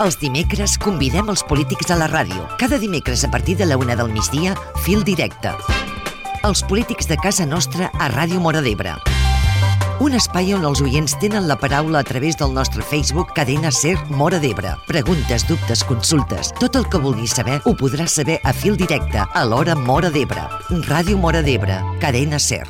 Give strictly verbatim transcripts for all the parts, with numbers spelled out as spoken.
Els dimecres convidem els polítics a la ràdio. Cada dimecres a partir de la una del migdia, Fil Directe. Els polítics de casa nostra a Ràdio Móra d'Ebre. Un espai on els oients tenen la paraula a través del nostre Facebook Cadena Ser Móra d'Ebre. Preguntes, dubtes, consultes, tot el que vulguis saber ho podràs saber a Fil Directe a l'hora Móra d'Ebre. Ràdio Móra d'Ebre, Cadena Ser.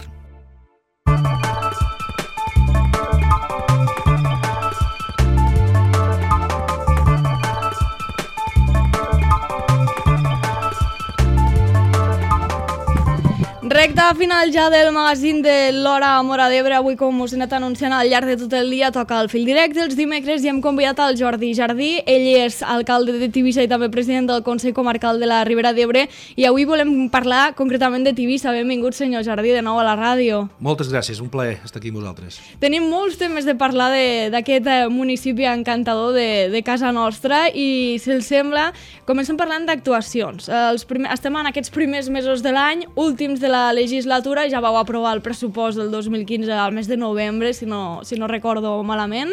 Recte final ja del magazín de l'Hora Móra d'Ebre. Avui, com us he anat anunciant al llarg de tot el dia, toca el Fil Directe els dimecres i hem convidat al Jordi Jardí. Ell és alcalde de Tivissa i també president del Consell Comarcal de la Ribera d'Ebre i avui volem parlar concretament de Tivissa. Benvingut, senyor Jardí, de nou a la ràdio. Moltes gràcies, un plaer estar aquí amb vosaltres. Tenim molts temes de parlar d'aquest municipi encantador de, de casa nostra i, si els sembla, comencem parlant d'actuacions. Estem en aquests primers mesos de l'any, últims de la legislatura, ja vau aprovar el pressupost del dos mil quinze al mes de novembre, si no, si no recordo malament,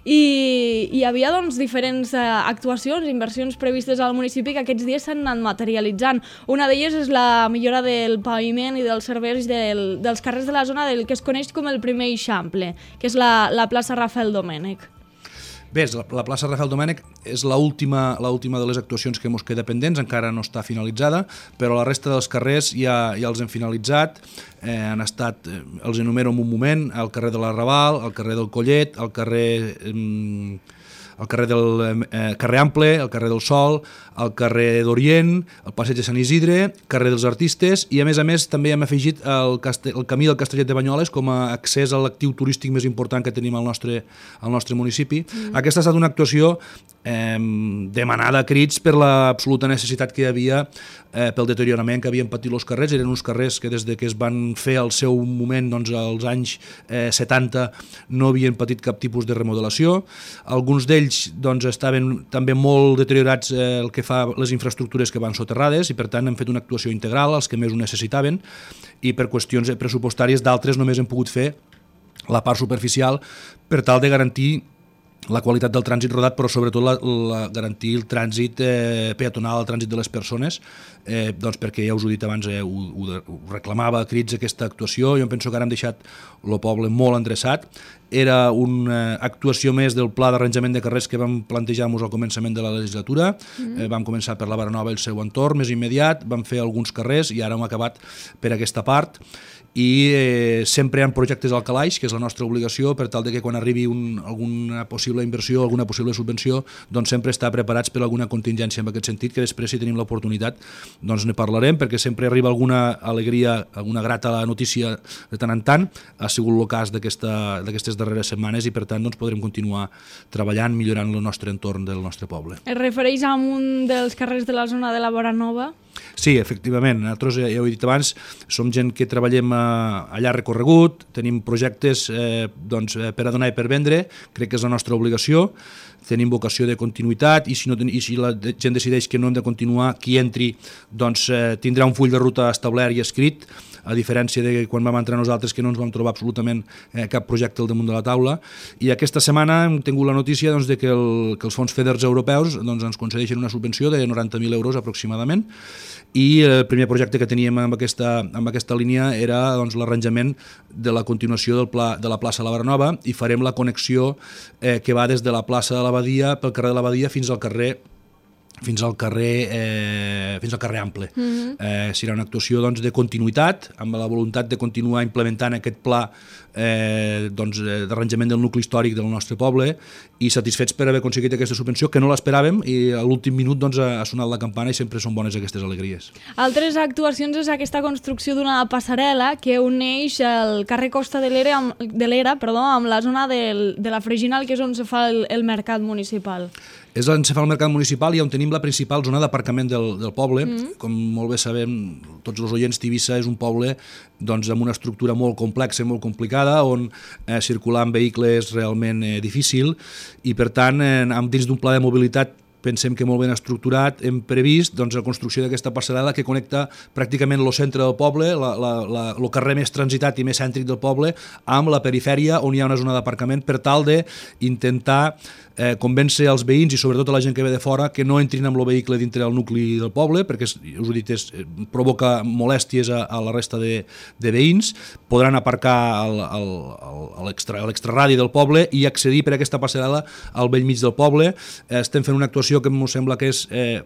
i hi havia doncs, diferents uh, actuacions, inversions previstes al municipi que aquests dies s'han anat materialitzant. Una d'elles és la millora del paviment i dels serveis del, dels carrers de la zona del que es coneix com el primer Eixample, que és la, la plaça Rafael Domènech. Bé, la, la plaça Rafael Domènech és l'última de les actuacions que ens queda pendents, encara no està finalitzada, però la resta dels carrers ja, ja els hem finalitzat, eh, han estat, eh, els enumero en un moment, el carrer de l'Arrabal, el carrer del Collet, el carrer... Eh, el carrer del eh, carrer Ample, el carrer del Sol, el carrer d'Orient, el passeig de Sant Isidre, carrer dels Artistes i a més a més també hem afegit el, castell, el camí del Castellet de Banyoles com a accés a l'actiu turístic més important que tenim al nostre, al nostre municipi. Mm. Aquesta ha estat una actuació eh, demanada a crits per l'absoluta necessitat que hi havia eh, pel deteriorament que havien patit els carrers. Eren uns carrers que des de que es van fer al seu moment, doncs als anys eh, setanta, no havien patit cap tipus de remodelació. Alguns d'ells doncs, estaven també molt deteriorats eh, el que fa les infraestructures que van soterrades i per tant hem fet una actuació integral als que més ho necessitaven i per qüestions pressupostàries d'altres només hem pogut fer la part superficial per tal de garantir la qualitat del trànsit rodat, però sobretot la, la, garantir el trànsit eh, peatonal, el trànsit de les persones, eh, doncs perquè ja us ho he dit abans, eh, ho, ho, ho reclamava a crits aquesta actuació. Jo penso que ara hem deixat el poble molt endreçat. Era una actuació més del pla d'arranjament de carrers que vam plantejar-nos al començament de la legislatura. Mm. Eh, vam començar per la Baranova i el seu entorn més immediat, vam fer alguns carrers i ara hem acabat per aquesta part. I eh, sempre hi ha projectes al calaix, que és la nostra obligació, per tal de que quan arribi un, alguna possible inversió, alguna possible subvenció, doncs sempre estar preparats per alguna contingència en aquest sentit, que després si tenim l'oportunitat doncs ne parlarem, perquè sempre arriba alguna alegria, alguna grata notícia de tant en tant. Ha sigut el cas d'aquestes darreres setmanes i per tant doncs, podrem continuar treballant, millorant el nostre entorn del nostre poble. Es refereix a un dels carrers de la zona de la Baranova? Sí, efectivament. Nosaltres, ja ho he dit abans, som gent que treballem a llarg recorregut, tenim projectes eh, doncs, per a donar i per vendre, crec que és la nostra obligació, tenim vocació de continuïtat i si, no, i si la gent decideix que no hem de continuar, qui entri doncs, eh, tindrà un full de ruta establert i escrit, a diferència de quan vam entrar nosaltres que no ens vam trobar absolutament eh, cap projecte al damunt de la taula. I aquesta setmana hem tingut la notícia doncs, de que, el, que els fons FEDERs europeus doncs, ens concedeixen una subvenció de noranta mil euros aproximadament i el primer projecte que teníem amb aquesta, amb aquesta línia era doncs, l'arranjament de la continuació del pla, de la plaça La Baranova i farem la connexió eh, que va des de la plaça de l'Abadia pel carrer de l'Abadia fins al carrer fins al carrer, eh, fins al carrer Ample. Mm-hmm. eh, serà una actuació doncs, de continuïtat, amb la voluntat de continuar implementant aquest pla eh, doncs, d'arranjament del nucli històric del nostre poble i satisfets per haver aconseguit aquesta subvenció, que no l'esperàvem i a l'últim minut doncs, ha sonat la campana i sempre són bones aquestes alegries. Altres actuacions és aquesta construcció d'una passarel·la que uneix el carrer Costa de l'Era amb, de l'Era, perdó, amb la zona del, de la Freginal, que és on se fa el, el mercat municipal. És on se fa el mercat municipal i on tenim la principal zona d'aparcament del, del poble. Mm. Com molt bé sabem, tots els oients, Tivissa és un poble doncs, amb una estructura molt complexa i molt complicada, on eh, circular amb vehicle és realment eh, difícil i, per tant, eh, dins d'un pla de mobilitat pensem que molt ben estructurat, hem previst doncs, la construcció d'aquesta passarel·la que connecta pràcticament el centre del poble, la, la, la, el carrer més transitat i més cèntric del poble, amb la perifèria on hi ha una zona d'aparcament per tal d'intentar eh, convèncer els veïns i sobretot a la gent que ve de fora que no entrin amb el vehicle dintre del nucli del poble, perquè, us ho he dit, és, provoca molèsties a, a la resta de, de veïns. Podran aparcar al, al, al, a l'extraradi del poble i accedir per aquesta passarel·la al bell mig del poble. Eh, estem fent una actuació que em sembla que és eh,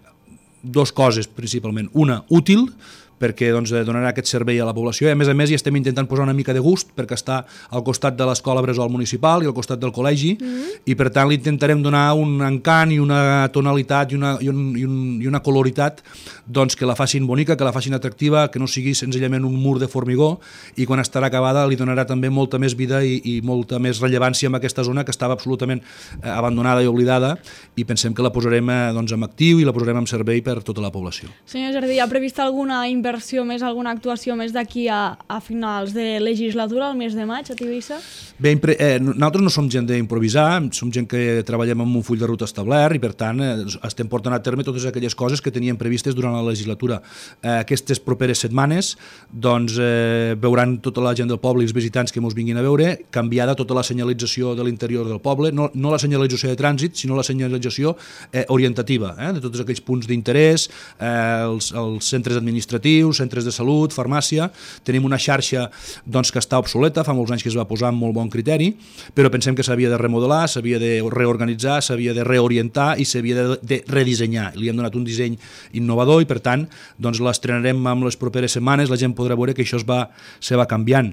dos coses principalment. Una, útil, perquè doncs, donarà aquest servei a la població i a més a més hi estem intentant posar una mica de gust perquè està al costat de l'escola Bressol municipal i al costat del col·legi mm-hmm. i per tant li intentarem donar un encant i una tonalitat i una, i un, i un, i una coloritat doncs, que la facin bonica, que la facin atractiva, que no sigui senzillament un mur de formigó i quan estarà acabada li donarà també molta més vida i, i molta més rellevància en aquesta zona que estava absolutament eh, abandonada i oblidada i pensem que la posarem eh, doncs, en actiu i la posarem en servei per tota la població. Senyor Jardí, ha previst alguna inversió més, alguna actuació més d'aquí a, a finals de legislatura, al mes de maig, a Tivissa? Bé, eh, nosaltres no som gent d'improvisar, som gent que treballem amb un full de ruta establert i per tant eh, estem portant a terme totes aquelles coses que teníem previstes durant la legislatura. Eh, aquestes properes setmanes doncs, eh, veuran tota la gent del poble i els visitants que ens vinguin a veure, canviada tota la senyalització de l'interior del poble, no, no la senyalització de trànsit, sinó la senyalització eh, orientativa, eh, de tots aquells punts d'interès, eh, els, els centres administratius, centres de salut, farmàcia. Tenim una xarxa doncs, que està obsoleta, fa molts anys que es va posar amb molt bon criteri, però pensem que s'havia de remodelar, s'havia de reorganitzar, s'havia de reorientar i s'havia de, de redissenyar. Li hem donat un disseny innovador i per tant doncs, l'estrenarem amb les properes setmanes, la gent podrà veure que això es va, se va canviant.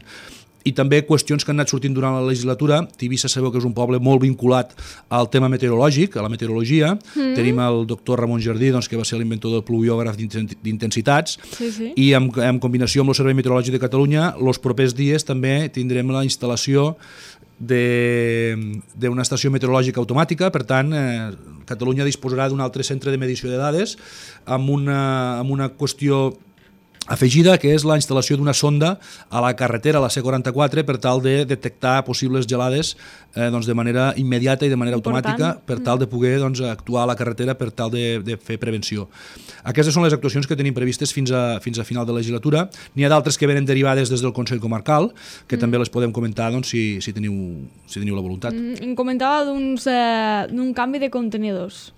I també qüestions que han anat sortint durant la legislatura. Tivissa sabeu que és un poble molt vinculat al tema meteorològic, a la meteorologia. Mm. Tenim el doctor Ramon Jardí, doncs, que va ser l'inventor del pluviògraf d'intensitats, sí, sí. I en, en combinació amb el Servei Meteorològic de Catalunya, els propers dies també tindrem la instal·lació d'una estació meteorològica automàtica. Per tant, eh, Catalunya disposarà d'un altre centre de medició de dades amb una, amb una qüestió afegida, que és la instal·lació d'una sonda a la carretera, a la C quaranta-quatre, per tal de detectar possibles gelades eh, doncs de manera immediata i de manera Important. automàtica per tal de poder doncs, actuar a la carretera per tal de, de fer prevenció. Aquestes són les actuacions que tenim previstes fins a, fins a final de legislatura. N'hi ha d'altres que venen derivades des del Consell Comarcal, que mm. també les podem comentar doncs, si, si, teniu, si teniu la voluntat. Mm, comentava d'un eh, canvi de contenidors.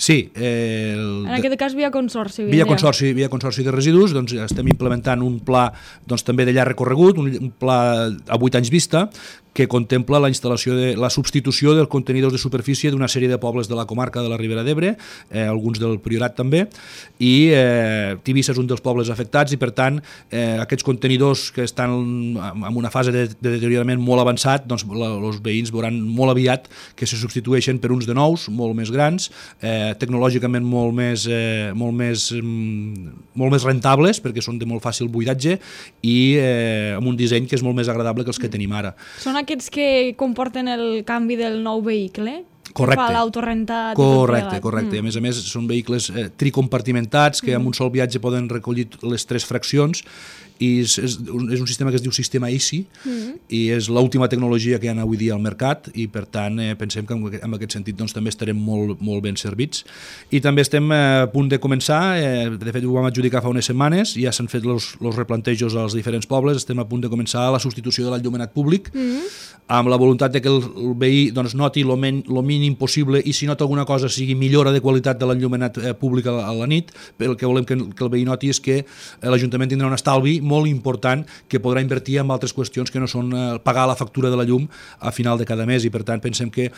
Sí. Eh, el, en aquest cas via consorci. Via consorci, via consorci de residus, doncs estem implementant un pla doncs, també de llarg recorregut, un, un pla a vuit anys vista, que contempla la instal·lació de la substitució dels contenidors de superfície d'una sèrie de pobles de la comarca de la Ribera d'Ebre, eh, alguns del Priorat també, i eh, Tivissa és un dels pobles afectats i per tant eh, aquests contenidors que estan en una fase de, de deteriorament molt avançat, doncs la, els veïns veuran molt aviat que se substitueixen per uns de nous, molt més grans, eh, tecnològicament molt més, eh, molt, més, mm, molt més rentables perquè són de molt fàcil buidatge i eh, amb un disseny que és molt més agradable que els que tenim ara. Són aquests que comporten el canvi del nou vehicle? Correcte. Que fa l'autorentat. Correcte, correcte. Mm. A més a més són vehicles eh, tricompartimentats que mm. amb un sol viatge poden recollir les tres fraccions i és, és, és un sistema que es diu sistema I C I mm. i és l'última tecnologia que hi ha avui dia al mercat i per tant eh, pensem que en, en aquest sentit doncs, també estarem molt, molt ben servits. I també estem eh, a punt de començar, eh, de fet ho vam adjudicar fa unes setmanes, ja s'han fet els replantejos als diferents pobles, estem a punt de començar la substitució de l'enllumenat públic mm. amb la voluntat de que el, el veí doncs, noti el mínim possible i si nota alguna cosa sigui millora de qualitat de l'enllumenat eh, públic a, a la nit, però el que volem que, que el veí noti és que eh, l'Ajuntament tindrà un estalvi molt important que podrà invertir en altres qüestions que no són eh, pagar la factura de la llum a final de cada mes i per tant pensem que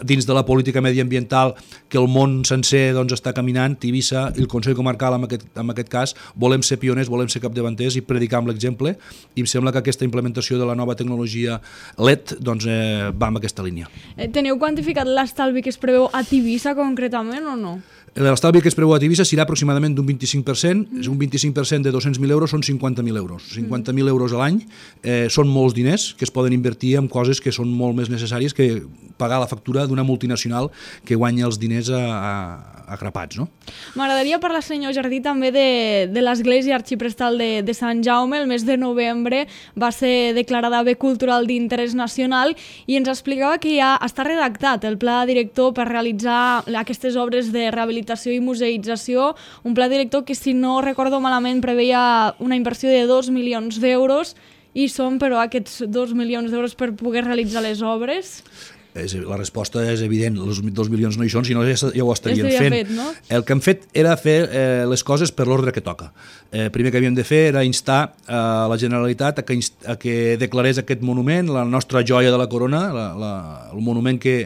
dins de la política mediambiental que el món sencer doncs, està caminant, Tivissa i el Consell Comarcal en aquest, en aquest cas volem ser pioners, volem ser capdavanters i predicar amb l'exemple i em sembla que aquesta implementació de la nova tecnologia L E D doncs, eh, va en aquesta línia. Eh, teniu quantificat l'estalvi que es preveu a Tivissa concretament o no? L'estalvi que es preveu a Tivissa serà aproximadament d'un vint-i-cinc per cent, mm. un vint-i-cinc per cent de dos-cents mil euros són cinquanta mil euros. cinquanta mil euros a l'any eh, són molts diners que es poden invertir en coses que són molt més necessàries que pagar la factura d'una multinacional que guanya els diners a, a, a grapats. No? M'agradaria parlar, senyor Jardí, també de, de l'Església Arxiprestal de, de Sant Jaume. El mes de novembre va ser declarada bé cultural d'interès nacional i ens explicava que ja està redactat el pla director per realitzar aquestes obres de rehabilitació i museïtzació, un pla director que, si no recordo malament, preveia una inversió de dos milions d'euros i són, però, aquests dos milions d'euros per poder realitzar les obres? La resposta és evident, els dos milions no hi són, si no ja, ja ho estarien ja fent. fet, no? El que hem fet era fer eh, les coses per l'ordre que toca. El eh, primer que havíem de fer era instar a eh, la Generalitat a que, a que declarés aquest monument, la nostra joia de la corona, la, la, el monument que,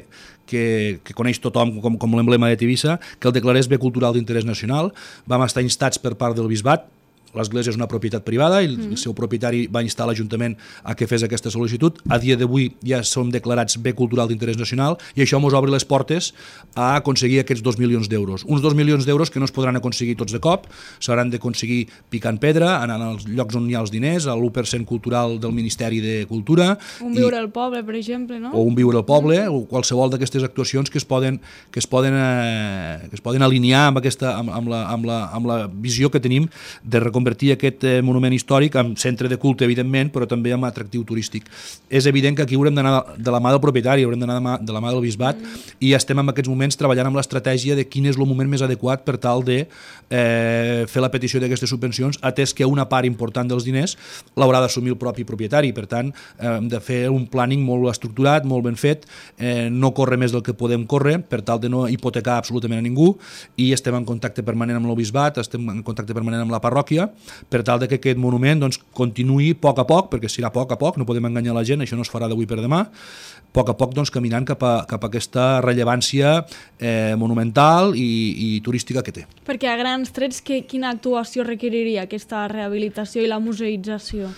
que, que coneix tothom com, com l'emblema de Tivissa, que el declarés bé cultural d'interès nacional. Vam estar instats per part del Bisbat. L'església és una propietat privada i el, mm. el seu propietari va instar l'Ajuntament a que fes aquesta sol·licitud. A dia d'avui ja som declarats bé cultural d'interès nacional i això ens obre les portes a aconseguir aquests dos milions d'euros. Uns dos milions d'euros que no es podran aconseguir tots de cop, s'hauran d'aconseguir picant pedra, anant als llocs on hi ha els diners, a l'u per cent cultural del Ministeri de Cultura. Un viure al poble, per exemple, no? O un viure al poble, mm. o qualsevol d'aquestes actuacions que es poden, que es poden, eh, que es poden alinear amb, aquesta, amb, amb, la, amb, la, amb la visió que tenim de reconvertir convertir aquest eh, monument històric en centre de culte, evidentment, però també en atractiu turístic. És evident que aquí haurem d'anar de la mà del propietari, haurem d'anar de, mà, de la mà del Bisbat mm. i estem en aquests moments treballant amb l'estratègia de quin és el moment més adequat per tal de eh, fer la petició d'aquestes subvencions, atès que una part important dels diners l'haurà d'assumir el propi propietari. Per tant, eh, hem de fer un planning molt estructurat, molt ben fet, eh, no córrer més del que podem córrer per tal de no hipotecar absolutament a ningú i estem en contacte permanent amb el Bisbat, estem en contacte permanent amb la parròquia per tal de que aquest monument doncs, continuï a poc a poc, perquè serà a poc a poc, no podem enganyar la gent, això no es farà d'avui per demà, a poc a poc doncs, caminant cap a, cap a aquesta rellevància eh, monumental i, i turística que té. Perquè a grans trets, que, quina actuació requeriria aquesta rehabilitació i la museïtzació?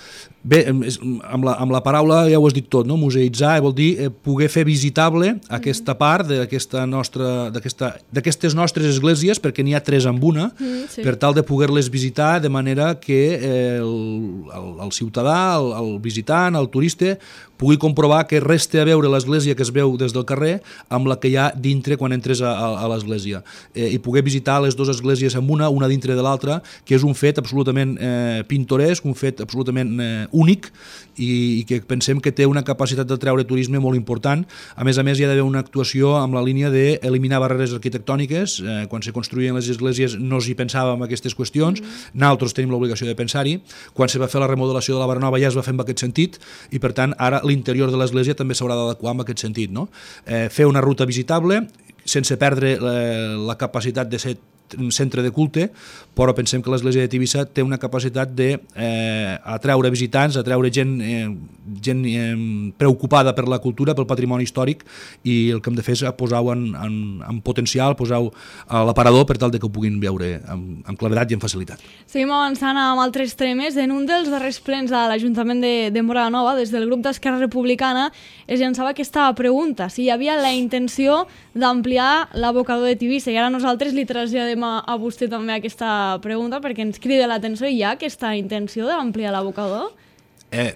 Bé, amb la, amb la paraula ja ho has dit tot, no? Museïtzar vol dir eh, poder fer visitable aquesta part d'aquesta nostra, d'aquestes nostres esglésies, perquè n'hi ha tres en una, mm, sí. per tal de poder-les visitar de manera que eh, el, el, el ciutadà, el, el visitant, el turista, pugui comprovar que res té a veure l'església que es veu des del carrer amb la que hi ha dintre quan entres a, a, a l'església. Eh, I poder visitar les dues esglésies en una, una dintre de l'altra, que és un fet absolutament eh, pintoresc, un fet absolutament eh, únic i, i que pensem que té una capacitat de treure turisme molt important. A més a més, hi ha d'haver una actuació amb la línia d'eliminar barreres arquitectòniques. Eh, quan se construïen les esglésies no s'hi pensava en aquestes qüestions, mm-hmm. nosaltres tenim l'obligació de pensar-hi. Quan se va fer la remodelació de la Barnova ja es va fer en aquest sentit i, per tant, ara l'interior de l'església també s'haurà d'adequar en aquest sentit. No? Eh, fer una ruta visitable sense perdre la, la capacitat de ser un centre de culte, però pensem que l'església de Tivissa té una capacitat de eh, atraure visitants, atraure gent, eh, gent eh, preocupada per la cultura, pel patrimoni històric, i el que hem de fer és posar-ho en, en, en potencial, posar-ho a l'aparador per tal de que ho puguin veure amb, amb claredat i amb facilitat. Seguim avançant amb altres temes. En un dels darrers plens de l'Ajuntament de, de Móra la Nova, des del grup d'Esquerra Republicana, es llançava aquesta pregunta, si hi havia la intenció d'ampliar l'abocador de Tivissa, i ara nosaltres li traslladem a, a vostè també aquesta pregunta perquè ens crida l'atenció. Hi ha aquesta intenció d'ampliar l'abocador? Eh,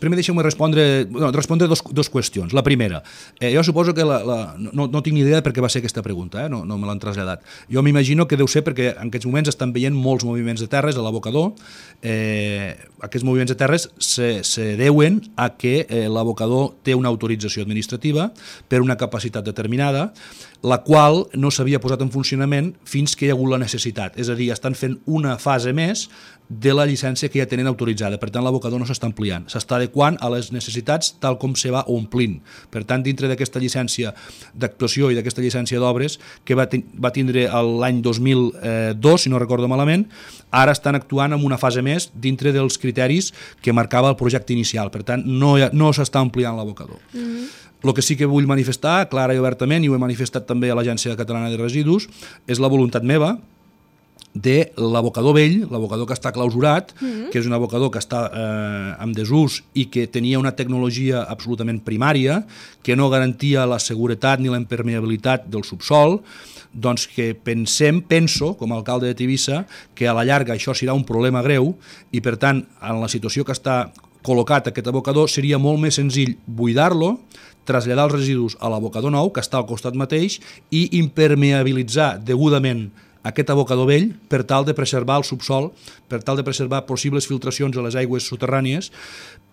primer deixeu-me respondre, no, respondre dos, dos qüestions. La primera, eh, jo suposo que la, la, no, no tinc ni idea de per què va ser aquesta pregunta, eh? no, no me l'han traslladat. Jo m'imagino que deu ser perquè en aquests moments estan veient molts moviments de terres a l'abocador. Eh, aquests moviments de terres se, se deuen a que eh, l'abocador té una autorització administrativa per una capacitat determinada, la qual no s'havia posat en funcionament fins que hi ha hagut la necessitat. És a dir, estan fent una fase més de la llicència que ja tenen autoritzada. Per tant, l'abocador no s'està ampliant, s'està adequant a les necessitats tal com se va omplint. Per tant, dintre d'aquesta llicència d'actuació i d'aquesta llicència d'obres que va, va tindre l'any dos mil dos, si no recordo malament, ara estan actuant en una fase més dintre dels criteris que marcava el projecte inicial. Per tant, no, no s'està ampliant l'abocador. Mm-hmm. El que sí que vull manifestar, clara i obertament, i ho he manifestat també a l'Agència Catalana de Residus, és la voluntat meva de l'abocador vell, l'abocador que està clausurat, mm-hmm. que és un abocador que està eh, en desús i que tenia una tecnologia absolutament primària, que no garantia la seguretat ni la impermeabilitat del subsol, doncs que pensem, penso, com a alcalde de Tivissa, que a la llarga això serà un problema greu i, per tant, en la situació que està col·locat aquest abocador, seria molt més senzill buidar-lo, traslladar els residus a l'abocador nou, que està al costat mateix, i impermeabilitzar degudament aquest abocador vell per tal de preservar el subsol, per tal de preservar possibles filtracions a les aigües soterrànies,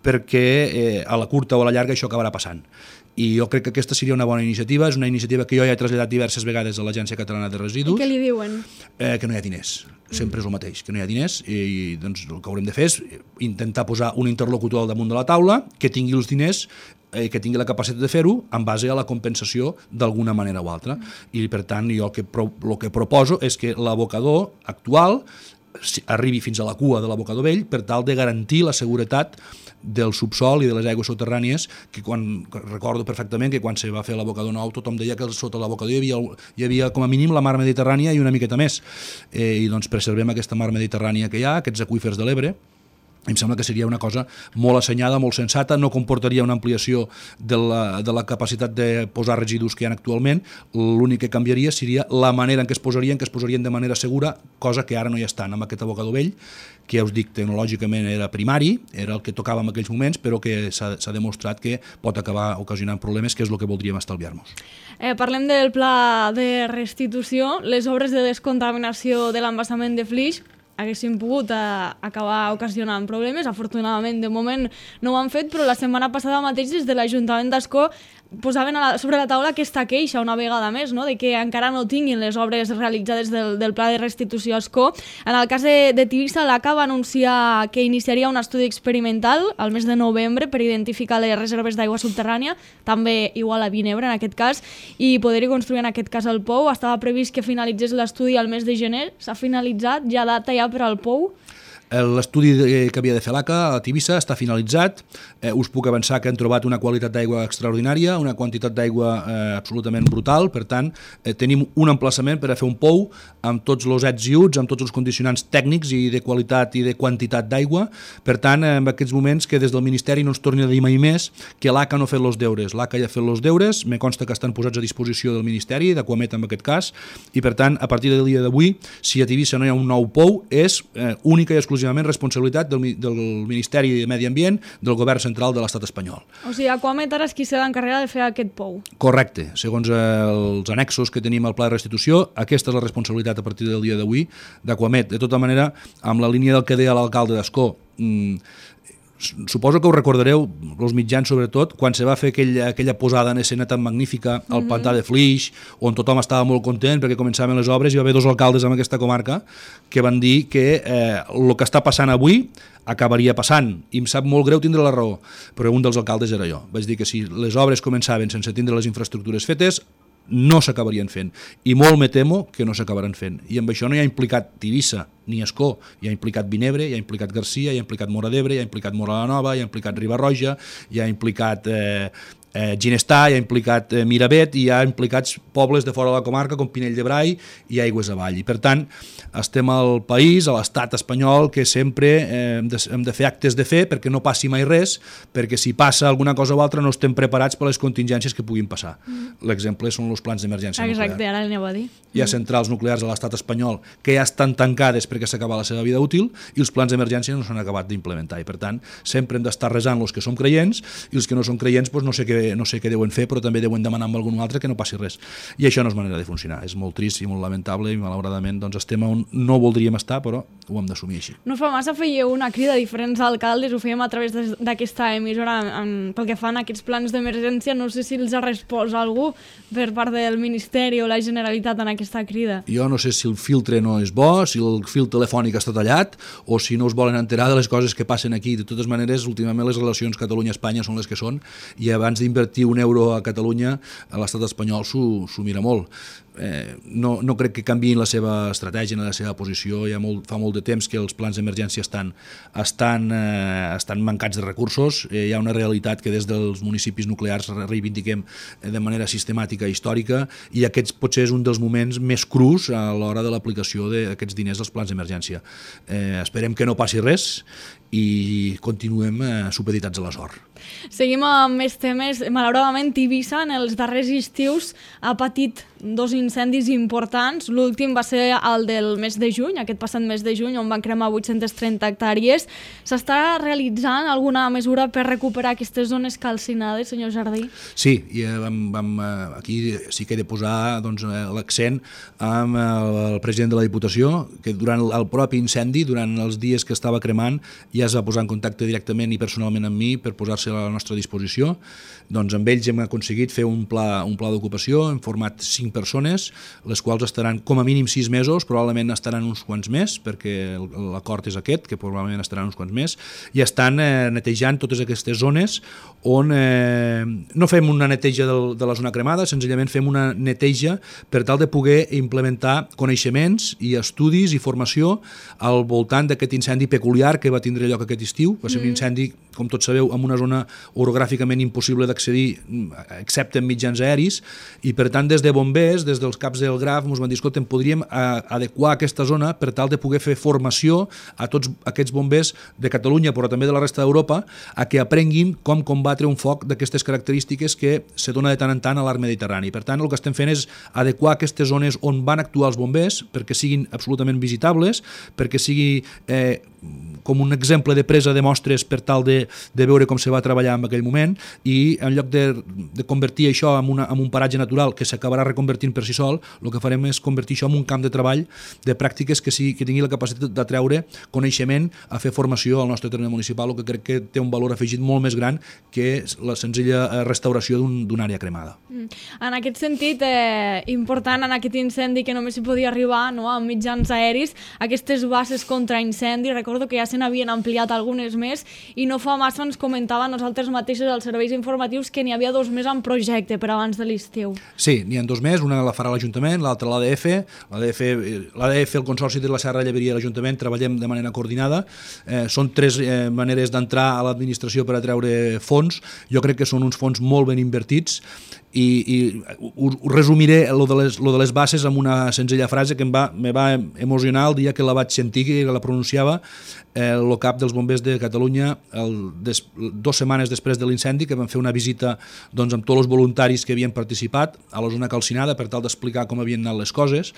perquè eh, a la curta o a la llarga això acabarà passant. I jo crec que aquesta seria una bona iniciativa, és una iniciativa que jo ja he traslladat diverses vegades a l'Agència Catalana de Residus. I què li diuen? Eh, que no hi ha diners, sempre és el mateix, que no hi ha diners, i doncs el que haurem de fer és intentar posar un interlocutor al damunt de la taula que tingui els diners, eh, que tingui la capacitat de fer-ho en base a la compensació d'alguna manera o altra. I per tant jo el que, pro, el que proposo és que l'abocador actual arribi fins a la cua de l'abocador vell per tal de garantir la seguretat del subsol i de les aigües soterrànies, que quan recordo perfectament que quan se va fer l'abocador nou tothom deia que sota l'abocador hi havia, hi havia com a mínim la mar Mediterrània i una miqueta més, eh, i doncs preservem aquesta mar Mediterrània que hi ha, aquests aqüífers de l'Ebre. Em sembla que seria una cosa molt assenyada, molt sensata, no comportaria una ampliació de la, de la capacitat de posar residus que hi ha actualment, l'únic que canviaria seria la manera en què es posarien, que es posarien de manera segura, cosa que ara no hi estan amb aquest abocador vell, que ja us dic, tecnològicament era primari, era el que tocava en aquells moments, però que s'ha demostrat que pot acabar ocasionant problemes, que és el que voldríem estalviar-nos. Eh, parlem del pla de restitució, les obres de descontaminació de l'embassament de Flix haguessin pogut eh, acabar ocasionant problemes. Afortunadament, de moment no ho han fet, però la setmana passada mateix des de l'Ajuntament d'Ascó posaven a la, sobre la taula aquesta queixa una vegada més, no? De que encara no tinguin les obres realitzades del, del pla de restitució a Ascó. En el cas de, de Tivissa, l'A C A va anunciar que iniciaria un estudi experimental al mes de novembre per identificar les reserves d'aigua subterrània, també igual a Vinebre en aquest cas, i poder-hi construir en aquest cas el pou. Estava previst que finalitzés l'estudi al mes de gener, s'ha finalitzat, ja data ja per al pou. L'estudi que havia de fer l'A C A a Tivissa està finalitzat. Eh, us puc avançar que han trobat una qualitat d'aigua extraordinària, una quantitat d'aigua eh, absolutament brutal. Per tant, eh, tenim un emplaçament per a fer un pou amb tots els ets i uts, amb tots els condicionants tècnics i de qualitat i de quantitat d'aigua. Per tant, en aquests moments que des del Ministeri no ens torni a dir mai més que l'A C A no ha fet els deures. L'A C A ja ha fet els deures, me consta que estan posats a disposició del Ministeri, d'Aquamet en aquest cas, i per tant, a partir del dia d'avui, si a Tivissa no hi ha un nou pou, és eh, única i exclusiva responsabilitat del, del Ministeri de Medi Ambient del Govern Central de l'Estat espanyol. O sigui, Aquamet ara és qui s'ha d'encarregar de fer aquest pou. Correcte. Segons els annexos que tenim al pla de restitució, aquesta és la responsabilitat a partir del dia d'avui d'Aquamet. De tota manera, amb la línia del que deia l'alcalde d'Ascó, mmm, suposo que us recordareu, els mitjans sobretot, quan se va fer aquella, aquella posada en escena tan magnífica al mm-hmm. pantà de Flix, on tothom estava molt content perquè començaven les obres, i va haver dos alcaldes en aquesta comarca que van dir que eh, el que està passant avui acabaria passant, i em sap molt greu tindre la raó, però un dels alcaldes era jo. Vaig dir que si les obres començaven sense tindre les infraestructures fetes, no s'acabarien fent, i molt me temo que no s'acabaran fent, i amb això no hi ha implicat Tivissa ni Ascó, hi ha implicat Vinebre, hi ha implicat Garcia, hi ha implicat Móra d'Ebre, hi ha implicat Móra la Nova, hi ha implicat Riba-roja, hi ha implicat eh, eh, Ginestar, hi ha implicat eh, Miravet, i hi ha implicats pobles de fora de la comarca com Pinell de Brai i Aigües Avall. I per tant, estem al país, a l'estat espanyol, que sempre eh, hem, de, hem de fer actes de fe perquè no passi mai res, perquè si passa alguna cosa o altra no estem preparats per les contingències que puguin passar. Mm. L'exemple són els plans d'emergència nuclear. Exacte, ara l'aneu a dir. Hi ha centrals nuclears a l'estat espanyol que ja estan tancades perquè s'acaba la seva vida útil, i els plans d'emergència no s'han acabat d'implementar, i per tant sempre hem d'estar resant els que som creients, i els que no són creients doncs no sé què, no sé què deuen fer, però també deuen demanar amb algun altre que no passi res, i això no és manera de funcionar. És molt trist i molt lamentable, i malauradament doncs, estem on no voldríem estar, però ho hem d'assumir així. No fa massa fèieu una crida a diferents alcaldes, ho fèiem a través d'aquesta emissora en, pel que fan aquests plans d'emergència. No sé si els ha respost algú per part del Ministeri o la Generalitat en aquesta crida. Jo no sé si el filtre no és bo, si el fil telefònic està tallat, o si no us volen enterar de les coses que passen aquí. De totes maneres, últimament les relacions Catalunya-Espanya són les que són, i abans d'invertir un euro a Catalunya, a l'estat espanyol s'ho mira molt. eh, no, no crec que canviïn la seva estratègia ni la seva posició. Ja molt, fa molt de temps que els plans d'emergència estan, estan, eh, estan mancats de recursos. Eh, hi ha una realitat que des dels municipis nuclears reivindiquem de manera sistemàtica i històrica, i aquests potser és un dels moments més crus a l'hora de l'aplicació d'aquests diners als plans d'emergència. Eh, esperem que no passi res i continuem eh, supeditats a la sort. Seguim amb més temes. Malauradament, Tivissa en els darrers estius ha patit dos incendis importants. L'últim va ser el del mes de juny, aquest passat mes de juny, on van cremar vuit-centes trenta hectàrees. S'està realitzant alguna mesura per recuperar aquestes zones calcinades, senyor Jardí? Sí, i vam, vam, aquí sí que he de posar doncs, l'accent amb el president de la Diputació, que durant el propi incendi, durant els dies que estava cremant, ja es va posar en contacte directament i personalment amb mi per posar-se a la nostra disposició. Doncs amb ells hem aconseguit fer un pla, un pla d'ocupació, hem format cinc persones, les quals estaran com a mínim sis mesos, probablement estaran uns quants més, perquè l'acord és aquest, que probablement estaran uns quants més, i estan eh, netejant totes aquestes zones on eh, no fem una neteja del, de la zona cremada, senzillament fem una neteja per tal de poder implementar coneixements i estudis i formació al voltant d'aquest incendi peculiar que va tindre lloc aquest estiu. Va ser un incendi, com tots sabeu, en una zona orogràficament impossible d'accedir excepte en mitjans aeris, i per tant des de bombers, des dels caps del Graf, ens van dir, escolta, podríem adequar aquesta zona per tal de poder fer formació a tots aquests bombers de Catalunya, però també de la resta d'Europa, a que aprenguin com combatre un foc d'aquestes característiques que se dona de tant en tant a l'arc mediterrani. Per tant, el que estem fent és adequar aquestes zones on van actuar els bombers perquè siguin absolutament visitables, perquè sigui eh, com un exemple de presa de mostres per tal de, de veure com se va treballar en aquell moment, i en lloc de, de convertir això en, una, en un paratge natural que s'acabarà reconvertint per si sol, el que farem és convertir això en un camp de treball de pràctiques que, sigui, que tingui la capacitat d'atreure coneixement a fer formació al nostre terme municipal, el que crec que té un valor afegit molt més gran que la senzilla restauració d'una un, àrea cremada. Mm. En aquest sentit, eh, important en aquest incendi que només s'hi podia arribar, no, amb mitjans aeris, aquestes bases contra incendi, recordo que ja se n'havien ampliat algunes més, i no fa massa ens comentava nosaltres mateixos als serveis informatius que n'hi havia dos més en projecte per abans de l'estiu. Sí, n'hi ha dos més, una la farà l'Ajuntament, l'altra l'A D F. L'A D F, l'A D F, el Consorci de la Serra de Lleveria i l'Ajuntament treballem de manera coordinada. Eh, són tres eh, maneres d'entrar a l'administració per atreure fons. Jo crec que són uns fons molt ben invertits, i, i ho, ho resumiré lo de, les, lo de les bases amb una senzilla frase que em va, me va emocionar el dia que la vaig sentir, que la pronunciava eh, el cap dels bombers de Catalunya el, des, dues setmanes després de l'incendi, que van fer una visita doncs, amb tots els voluntaris que havien participat a la zona calcinada per tal d'explicar com havien anat les coses,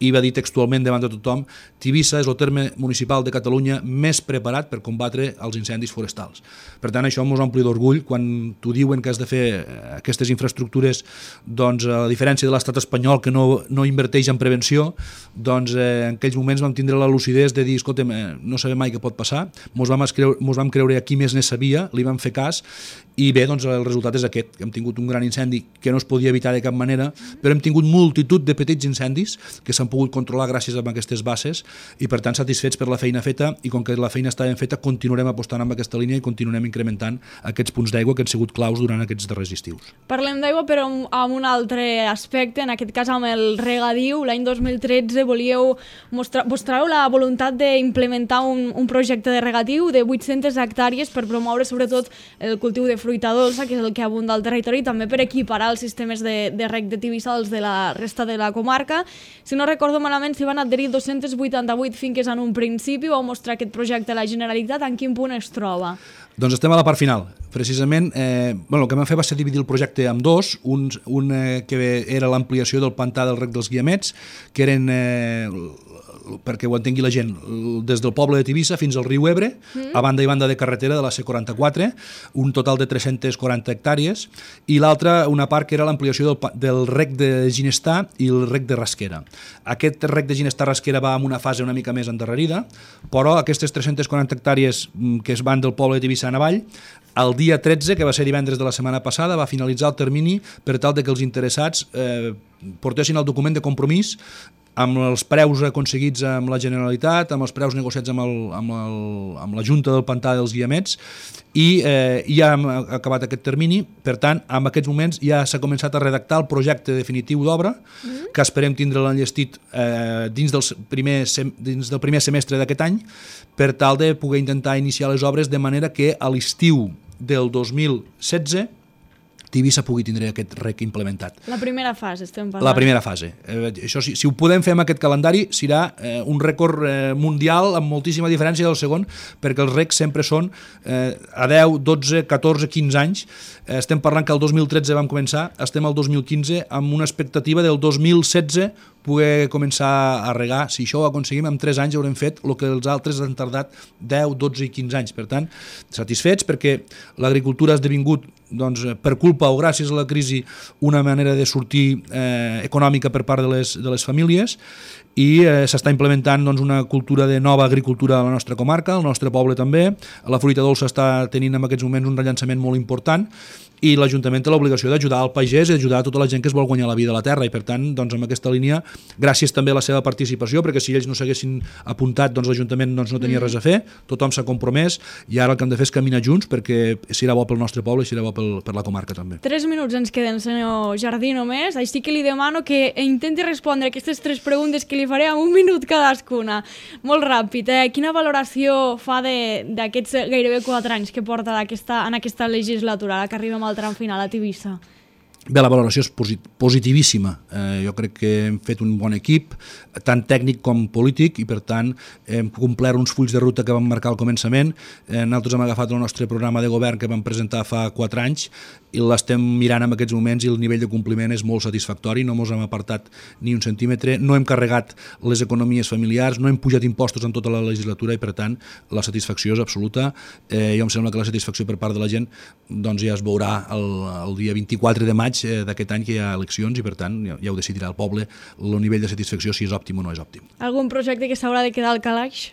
i va dir textualment davant de tothom: Tivissa és el terme municipal de Catalunya més preparat per combatre els incendis forestals. Per tant, això ens ompli d'orgull quan t'ho diuen que has de fer aquestes infraestructures, doncs, a diferència de l'estat espanyol que no, no inverteix en prevenció, doncs eh, en aquells moments vam tindre la lucidesa de dir, escolta'm, eh, no sabem mai què pot passar, mos vam, creure, mos vam creure a qui més ne sabia, li vam fer cas, i bé, doncs el resultat és aquest, que hem tingut un gran incendi que no es podia evitar de cap manera, però hem tingut multitud de petits incendis que s'han pogut controlar gràcies a aquestes bases, i per tant satisfets per la feina feta, i com que la feina està ben feta continuarem apostant amb aquesta línia i continuarem incrementant aquests punts d'aigua que han sigut claus durant aquests darrers estius. Parlem d'aigua però amb un altre aspecte, en aquest cas amb el regadiu. L'any dos mil tretze volíeu mostrar, mostreu la voluntat d'implementar un, un projecte de regadiu de vuit-centes hectàrees per promoure sobretot el cultiu de fruita dolça, que és el que abunda al territori, i també per equiparar els sistemes de, de reg de Tivissa als de la resta de la comarca. Si no recordo malament, s'hi van adherir dos-centes vuitanta-vuit finques en un principi. Vau mostrar aquest projecte a la Generalitat. En quin punt es troba? Doncs estem a la part final. Precisament, eh, bueno, el que vam fer va ser dividir el projecte en dos, un, un eh, que era l'ampliació del pantà del rec dels Guiamets, que eren, eh, perquè ho entengui la gent, des del poble de Tivissa fins al riu Ebre, mm. a banda i banda de carretera de la C quaranta-quatre, un total de tres-centes quaranta hectàrees, i l'altra, una part que era l'ampliació del, del rec de Ginestar i el rec de Rasquera. Aquest rec de Ginestar-Rasquera va en una fase una mica més endarrerida, però aquestes tres-centes quaranta hectàrees que es van del poble de Tivissa en avall, el dia tretze, que va ser divendres de la setmana passada, va finalitzar el termini per tal de que els interessats eh, portessin el document de compromís amb els preus aconseguits amb la Generalitat, amb els preus negociats amb, el, amb, el, amb la Junta del Pantà dels Guiamets, i eh, ja hem acabat aquest termini. Per tant, en aquests moments ja s'ha començat a redactar el projecte definitiu d'obra, mm. que esperem tindre l'enllestit eh, dins, del primer, dins del primer semestre d'aquest any, per tal de poder intentar iniciar les obres de manera que a l'estiu del dos mil setze Tivissa pugui tindre aquest rec implementat. La primera fase, estem parlant. La primera fase. Eh, això, si, si ho podem fer amb aquest calendari, serà eh, un rècord eh, mundial amb moltíssima diferència del segon, perquè els recs sempre són eh, a deu, dotze, catorze, quinze anys. Eh, estem parlant que el dos mil tretze vam començar, estem al dos mil quinze amb una expectativa del dos mil setze poder començar a regar. Si això ho aconseguim, en tres anys haurem fet el que els altres han tardat deu, dotze i quinze anys. Per tant, satisfets perquè l'agricultura ha esdevingut, doncs, per culpa o gràcies a la crisi, una manera de sortir eh, econòmica per part de les, de les famílies, i eh, s'està implementant, doncs, una cultura de nova agricultura a la nostra comarca, al nostre poble també. La fruita dolça està tenint en aquests moments un rellançament molt important, i l'Ajuntament té l'obligació d'ajudar al pagès i ajudar a tota la gent que es vol guanyar la vida a la terra, i per tant, doncs, amb aquesta línia, gràcies també a la seva participació, perquè si ells no s'haguessin apuntat, doncs l'Ajuntament doncs, no tenia res a fer, tothom s'ha compromès, i ara el que hem de fer és caminar junts, perquè serà bo pel nostre poble i serà bo pel, per la comarca també. Tres minuts ens queden, senyor Jardí, només, així que li demano que intenti respondre aquestes tres preguntes que li faré en un minut cadascuna. Molt ràpid, eh? Quina valoració fa d'aquests gairebé quatre anys que porta aquesta, en aquesta legislatura, ara que arribem al tram final a Tivissa? Bé, la valoració és positivíssima. Eh, jo crec que hem fet un bon equip, tant tècnic com polític, i per tant hem complert uns fulls de ruta que vam marcar al començament. Eh, nosaltres hem agafat el nostre programa de govern que vam presentar fa quatre anys i l'estem mirant en aquests moments, i el nivell de compliment és molt satisfactori. No ens hem apartat ni un centímetre, no hem carregat les economies familiars, no hem pujat impostos en tota la legislatura, i per tant la satisfacció és absoluta. Eh, jo em sembla que la satisfacció per part de la gent doncs ja es veurà el, el dia vint-i-quatre de maig d'aquest any, que hi ha eleccions, i per tant ja, ja ho decidirà el poble el nivell de satisfacció, si és òptim o no és òptim. Algun projecte que s'haurà de quedar al calaix?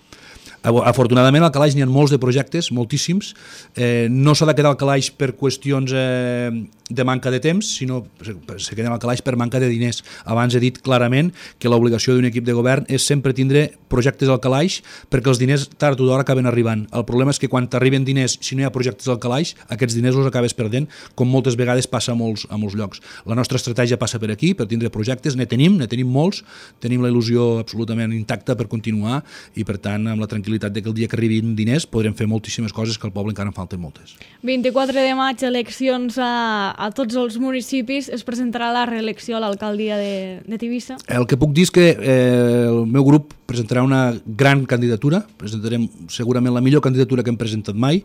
Afortunadament al calaix n'hi ha molts de projectes, moltíssims. Eh, no s'ha de quedar al calaix per qüestions eh, de manca de temps, sinó se queden al calaix per manca de diners. Abans he dit clarament que l'obligació d'un equip de govern és sempre tindre projectes al calaix, perquè els diners tard o d'hora acaben arribant. El problema és que quan t'arriben diners, si no hi ha projectes al calaix, aquests diners els acabes perdent, com moltes vegades passa a molts, a molts llocs. La nostra estratègia passa per aquí, per tindre projectes, ne tenim, ne tenim molts, tenim la il·lusió absolutament intacta per continuar, i per tant amb la tranquil·litat de que el dia que arribin diners podrem fer moltíssimes coses, que al poble encara en falten moltes. vint-i-quatre de maig, eleccions a, a tots els municipis. Es presentarà la reelecció a l'alcaldia de, de Tivissa? El que puc dir és que eh, el meu grup presentarà una gran candidatura, presentarem segurament la millor candidatura que hem presentat mai,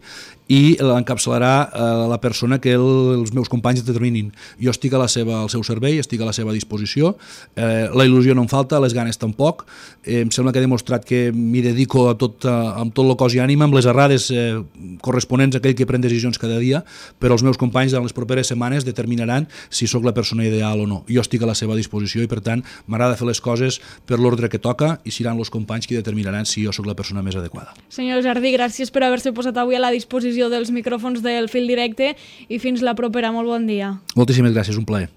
i l'encapçalarà eh, la persona que el, els meus companys determinin. Jo estic a la seva, al seu servei, estic a la seva disposició, eh, la il·lusió no em falta, les ganes tampoc. Eh, em sembla que he demostrat que m'hi dedico a tot, a, amb tot el cos i ànima, amb les errades eh, corresponents a aquell que pren decisions cada dia, però els meus companys en les properes setmanes determinaran si sóc la persona ideal o no. Jo estic a la seva disposició, i per tant m'agrada fer les coses per l'ordre que toca, i seran els companys qui determinaran si jo sóc la persona més adequada. Senyor Jardí, gràcies per haver-se posat avui a la disposició dels micròfons del Fil Directe, i fins la propera. Molt bon dia. Moltíssimes gràcies, un plaer.